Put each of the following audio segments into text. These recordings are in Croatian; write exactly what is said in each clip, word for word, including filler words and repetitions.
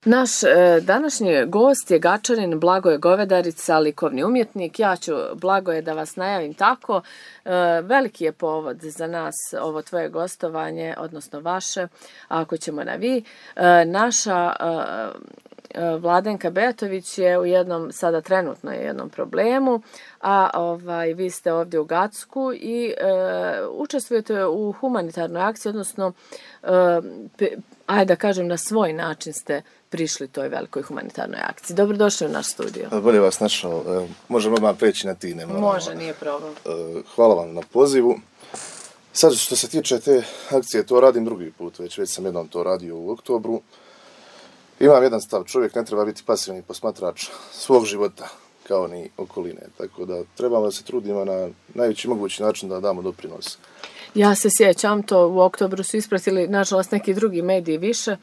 Naš e, današnji gost je Gačanin Blagoje Govedarica, likovni umjetnik. Ja ću, Blagoje, da vas najavim tako. E, veliki je povod za nas ovo tvoje gostovanje, odnosno vaše, ako ćemo na vi. E, naša e, Vladenka Betović je u jednom, sada trenutno je jednom problemu, a ovaj, vi ste ovdje u Gacku i e, učestvujete u humanitarnoj akciji, odnosno, e, pe, ajde da kažem, na svoj način ste prišli toj velikoj humanitarnoj akciji. Dobrodošli u naš studio. Bolje vas našao. Možemo odmah preći na ti, ne moramo. Može, nije problem. Hvala vam na pozivu. Sad, što se tiče te akcije, to radim drugi put, već već sam jednom to radio u oktobru. Imam jedan stav, čovjek ne treba biti pasivni posmatrač svog života, kao ni okoline. Tako da trebamo da se trudimo na najveći mogući način da damo doprinos. Ja se sjećam, to u oktobru su ispratili, nažalost, neki drugi mediji više.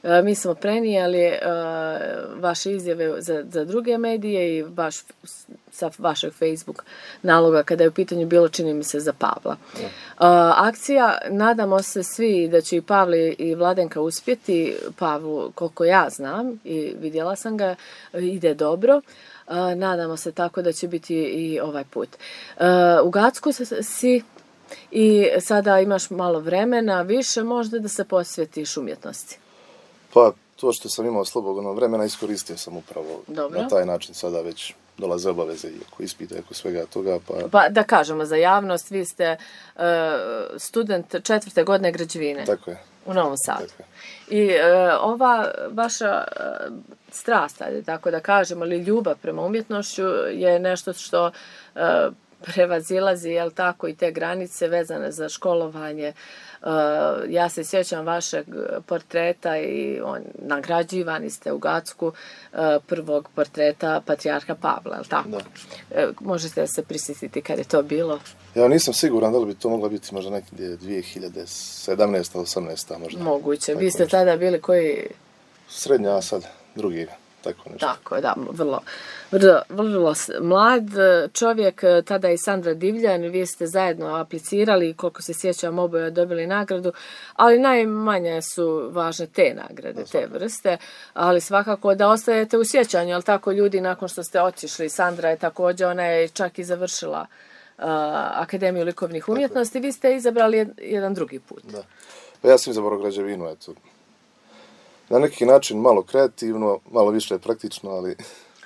E, mi smo prenijeli e, vaše izjave za, za druge medije i baš sa vašeg Facebook naloga kada je u pitanju bilo, čini mi se, za Pavla. E, akcija, nadamo se svi da će i Pavli i Vladenka uspjeti. Pavlu, koliko ja znam i vidjela sam ga, ide dobro. E, nadamo se tako da će biti i ovaj put. E, u Gacku si i sada imaš malo vremena, više možda da se posvjetiš umjetnosti. Pa, to što sam imao slobodno vremena iskoristio sam upravo. Dobro. Na taj način sada već dolaze obaveze i oko ispita i oko svega toga. Pa... pa da kažemo za javnost, vi ste uh, student četvrte godine građevine. Tako je. U Novom Sadu. Tako je. I uh, ova vaša uh, strast, ajde tako da kažemo, ili ljubav prema umjetnošću je nešto što uh, prevazilazi, jel tako, i te granice vezane za školovanje. Uh, ja se sjećam vašeg portreta i on, nagrađivani ste u Gacku uh, prvog portreta patrijarha Pavla, jel tako? Da. Uh, možete se prisjetiti kad je to bilo? Ja nisam siguran da li bi to mogla biti možda nekdje dvije hiljade sedamnaeste osamnaeste možda. Moguće. Tako Vi ste nešto. Tada bili koji? Srednja, a sad drugi. Tako nešto. Tako, da, vrlo, vrlo, vrlo mlad čovjek, tada i Sandra Divljan, vi ste zajedno aplicirali, koliko se sjećam, oboje dobili nagradu, ali najmanje su važne te nagrade, te vrste, ali svakako da ostajete u sjećanju, ali tako ljudi nakon što ste otišli, Sandra je također, ona je čak i završila uh, Akademiju likovnih umjetnosti, vi ste izabrali jedan drugi put. Da. Pa ja sam izabrao građevinu, eto. Na neki način malo kreativno, malo više praktično, ali...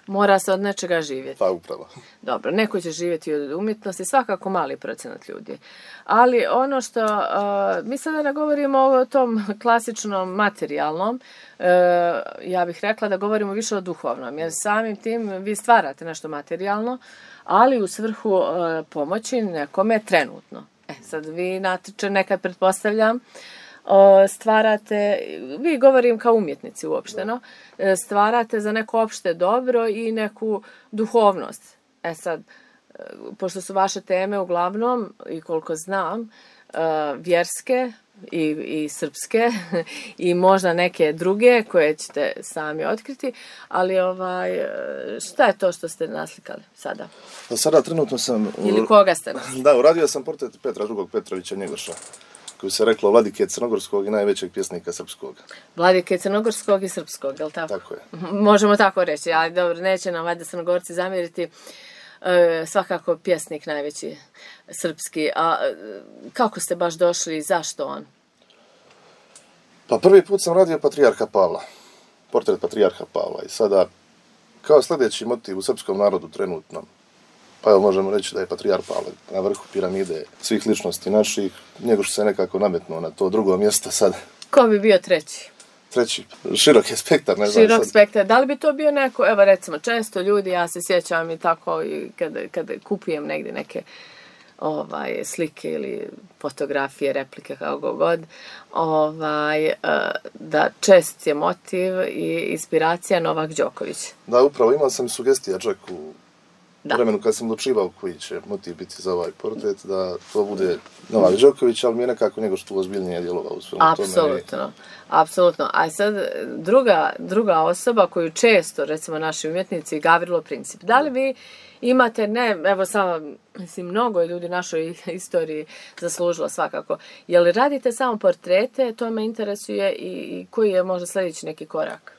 Mora se od nečega živjeti. Pa upravo. Dobro, neko će živjeti od umjetnosti, svakako mali procenat ljudi. Ali ono što, uh, mi sada ne govorimo o tom klasičnom materijalnom, uh, ja bih rekla da govorimo više o duhovnom, jer samim tim vi stvarate nešto materijalno, ali u svrhu uh, pomoći nekome trenutno. E, sad vi natječe nekad pretpostavljam, stvarate, vi govorim kao umjetnici uopšteno, stvarate za neko opšte dobro i neku duhovnost. E sad, pošto su vaše teme uglavnom, i koliko znam, vjerske i, i srpske i možda neke druge koje ćete sami otkriti, ali ovaj, šta je to što ste naslikali sada? Sada trenutno sam... Ili koga ste naslikali? Da, uradio sam portret Petra drugog Petrovića Njegoša, koji se reklo Vladike Crnogorskog i najvećeg pjesnika srpskog. Vladike Crnogorskog i srpskog, je li tako? Tako je. Možemo tako reći, ali dobro, neće nam valjda Crnogorci zamjeriti, e, svakako pjesnik najveći srpski. A kako ste baš došli i zašto on? Pa prvi put sam radio patrijarha Pavla, portret patrijarha Pavla i sada kao sljedeći motiv u srpskom narodu trenutno, pa evo možemo reći da je patrijar Pavle na vrhu piramide svih ličnosti naših, nego što se nekako nametnuo na to drugo mjesto sad. Ko bi bio treći? Treći, širok je spektar, ne znam. Širok spektar, da li bi to bio neko, evo recimo često ljudi, ja se sjećam i tako i kada, kada kupujem negdje neke ovaj, slike ili fotografije, replike, kako god, ovaj, da čest je motiv i inspiracija Novak Đoković. Da, upravo imao sam sugestija čak u Da. vremenu kad sam odlučivao koji će motiv biti za ovaj portret, da to bude Novak Đoković, ali mi je nekako njegov što ozbiljnije djelovao u svemu tome. Apsolutno, apsolutno. A sad druga, druga osoba koju često, recimo naši umjetnici, Gavrilo Princip. Da li vi imate, ne, evo samo, mislim, mnogo je ljudi našoj istoriji zaslužilo svakako. Je li radite samo portrete, to me interesuje i, i koji je možda sljedeći neki korak?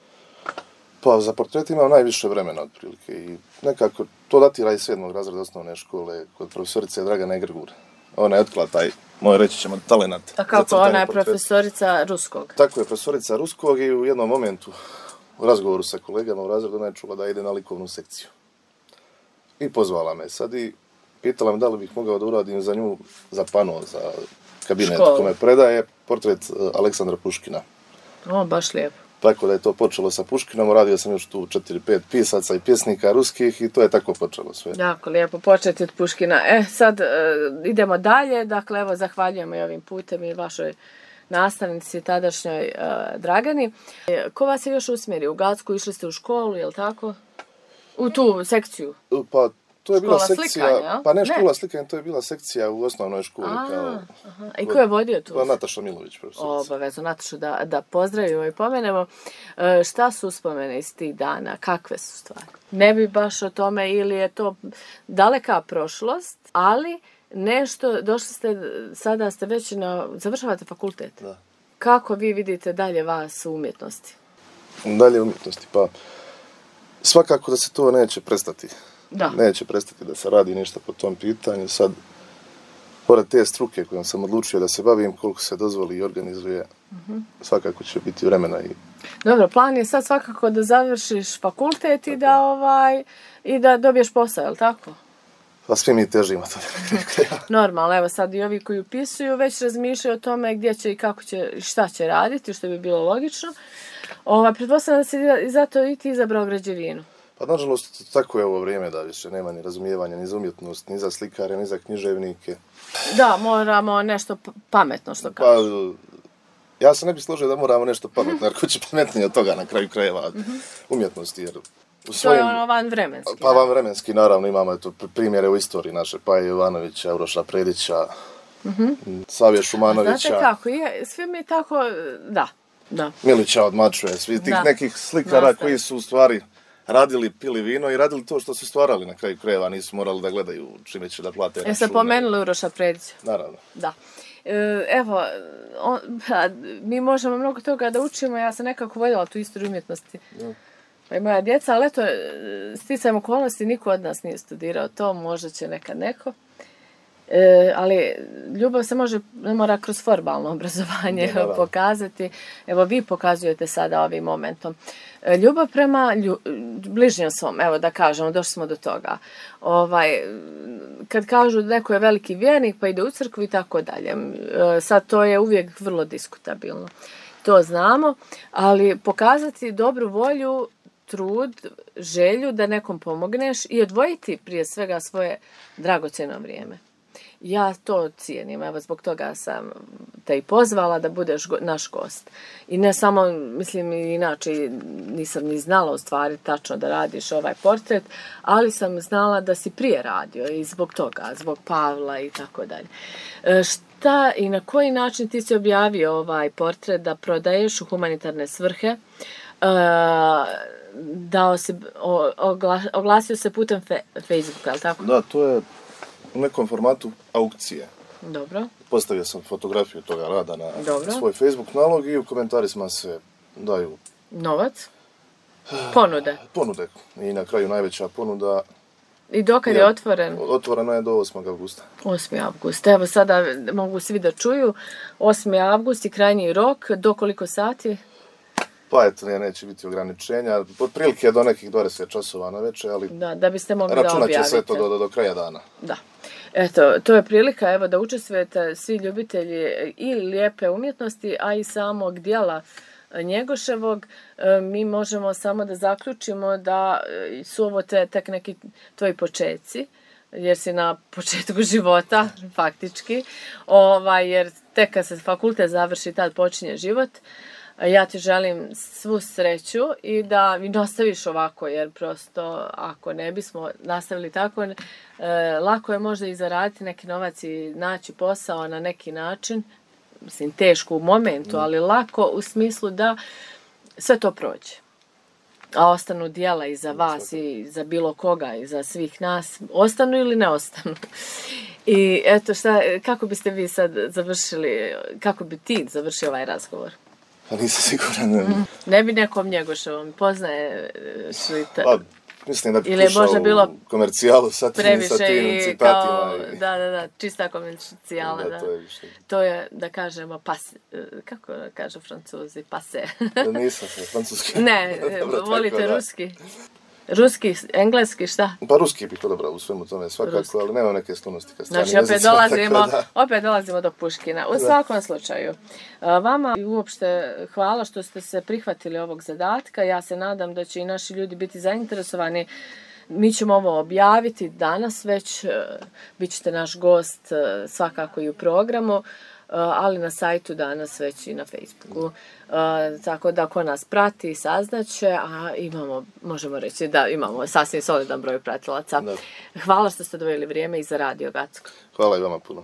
Pa za portret imam najviše vremena otprilike i nekako to datira iz sedmog razreda osnovne škole kod profesorice Dragane Grgur. Ona je otkrila taj, moj reći ćemo, talenat. A kako, ona je profesorica ruskog? Tako je, profesorica ruskog i u jednom momentu u razgovoru sa kolegama u razredu ona je čula da ide na likovnu sekciju. I pozvala me sad i pitala me da li bih mogao da uradim za nju, za pano, za kabinet kome predaje portret Aleksandra Puškina. O, baš lijepo. Tako da je to počelo sa Puškinom, radio sam još tu četiri pet pisaca i pjesnika ruskih i to je tako počelo sve. Jako lijepo početi od Puškina. E, sad e, idemo dalje, dakle evo zahvaljujemo i ovim putem i vašoj nastavnici tadašnjoj e, Dragani. E, ko vas je još usmjerio? U Gacku išli ste u školu, je li tako? U tu sekciju? Pa to je bila škola sekcija, slikanja, pa ne, ne škola slikanja, to je bila sekcija u osnovnoj školi. A, kao, aha. I ko je vodio tu? Pa Nataša Milović, profesorica. Obavezno, Natašu da, da pozdravimo i pomenemo. E, šta su uspomene iz tih dana? Kakve su stvari? Ne bi baš o tome ili je to daleka prošlost, ali nešto, došli ste, sada ste već na, završavate fakultet. Da. Kako vi vidite dalje vas u umjetnosti? Dalje umjetnosti, pa svakako da se to neće prestati. Da. Neće prestati da se radi ništa po tom pitanju. Sad, pored te struke kojom sam odlučio da se bavim, koliko se dozvoli i organizuje, uh-huh. svakako će biti vremena. I... Dobro, plan je sad svakako da završiš fakultet i da, ovaj, i da dobiješ posao, je li tako? Pa svi mi težimo to. Normalno, evo sad i ovi koji upisuju već razmišljaju o tome gdje će i kako će i šta će raditi, što bi bilo logično. Ova, pretpostavljam da si i zato i ti izabrao građevinu. Pa nažalost, tako je ovo vrijeme da više nema ni razumijevanja ni za umjetnost, ni za slikare, ni za književnike. Da, moramo nešto pametno što kažu. Pa, ja se ne bih složio da moramo nešto pametno, jer ko će pametnije od toga na kraju krajeva mm-hmm. umjetnosti, jer u svojim, to je ono van vremenski. Pa van vremenski, naravno, imamo eto, primjere u istoriji naše, Paje Jovanovića, Uroša Predića, mm-hmm. Savije Šumanovića. A znate kako, je, sve mi tako, da, da. Milića od Mačuje, svi tih da. nekih slikara Nastav. koji su u stvari radili, pili vino i radili to što su stvarali na kraju krajeva, nisu morali da gledaju čime će da plate račune. Jeste pomenuli Uroša Predića? Naravno. Da. E, evo, on, pa, mi možemo mnogo toga da učimo, ja sam nekako voljela tu istoriju umjetnosti. Da. Pa i moja djeca, ali eto, sticajem okolnosti, niko od nas nije studirao to, možda će nekad neko. E, ali ljubav se može, ne mora kroz formalno obrazovanje da, pokazati. Evo, vi pokazujete sada ovim momentom. E, ljubav prema lju, bližnjem svom, evo da kažemo, došli smo do toga. Ovaj, kad kažu da neko je veliki vjernik pa ide u crkvu i tako dalje. E, sad to je uvijek vrlo diskutabilno. To znamo, ali pokazati dobru volju, trud, želju da nekom pomogneš i odvojiti prije svega svoje dragocjeno vrijeme. Ja to cijenim, evo zbog toga sam te i pozvala da budeš go, naš gost. I ne samo, mislim inače nisam ni znala u stvari tačno da radiš ovaj portret, ali sam znala da si prije radio i zbog toga, zbog Pavla i tako dalje. E, šta i na koji način ti si objavio ovaj portret da prodaješ u humanitarne svrhe? E, dao si, o, ogla, oglasio se putem fe, Facebooka, je li tako? Da, to je u nekom formatu aukcije. Dobro. Postavio sam fotografiju toga rada na Dobro. svoj Facebook nalog i u komentarisima se daju... Novac? Ponude? Ponude. I na kraju najveća ponuda... I dokad je, je otvoren? Otvoreno je do osmog avgusta. osmi avgust. Evo sada mogu svi da čuju. osmi avgust i krajnji rok. Do koliko sati? Pa eto, ne, neće biti ograničenja. Otprilike do nekih dvadeset časova na večer, ali da, da biste mogli da objavite. Računat će sve to do, do, do kraja dana. Da. Eto, to je prilika evo, da učestvujete svi ljubitelji i lijepe umjetnosti, a i samog dijela Njegoševog. Mi možemo samo da zaključimo da su ovo te, tek neki tvoji početci, jer si na početku života, faktički, ovaj, jer tek kad se fakultet završi, tad počinje život. Ja ti želim svu sreću i da vi nastaviš ovako, jer prosto ako ne bismo nastavili tako, e, lako je možda i zaraditi neki novac i naći posao na neki način, mislim teško u momentu, ali lako u smislu da sve to prođe. A ostanu dijela i za vas i za bilo koga i za svih nas, ostanu ili ne ostanu. I eto šta, kako biste vi sad završili, kako bi ti završio ovaj razgovor? Pa nisam siguran. Mm. Ne bi nekom Njegoševom, poznaje Šliter. Pa, mislim da bi ili pušao bilo u komercijalu sa tim, sa tim citatima. Kao, i... Da, da, da, čista komercijala. Da, da. to je više. To je, da kažemo, pas, kako kažu Francuzi, pase. Nisam se, francuski. Ne, Dobro, volite tako, ruski. Ruski, engleski, šta? Pa ruski bih odabrao u svemu tome svakako, Ruski. ali nema neke sklonosti ka strani Znači, opet jezicima, dolazimo, tako da. opet dolazimo do Puškina. U svakom slučaju, a, vama uopšte hvala što ste se prihvatili ovog zadatka. Ja se nadam da će i naši ljudi biti zainteresovani. Mi ćemo ovo objaviti danas već, bit ćete naš gost svakako i u programu, ali na sajtu danas već i na Facebooku. Tako da ko nas prati saznaće, a imamo, možemo reći da imamo sasvim solidan broj pratilaca. Da. Hvala što ste doveli vrijeme i za Radio Gacko. Hvala i vama puno.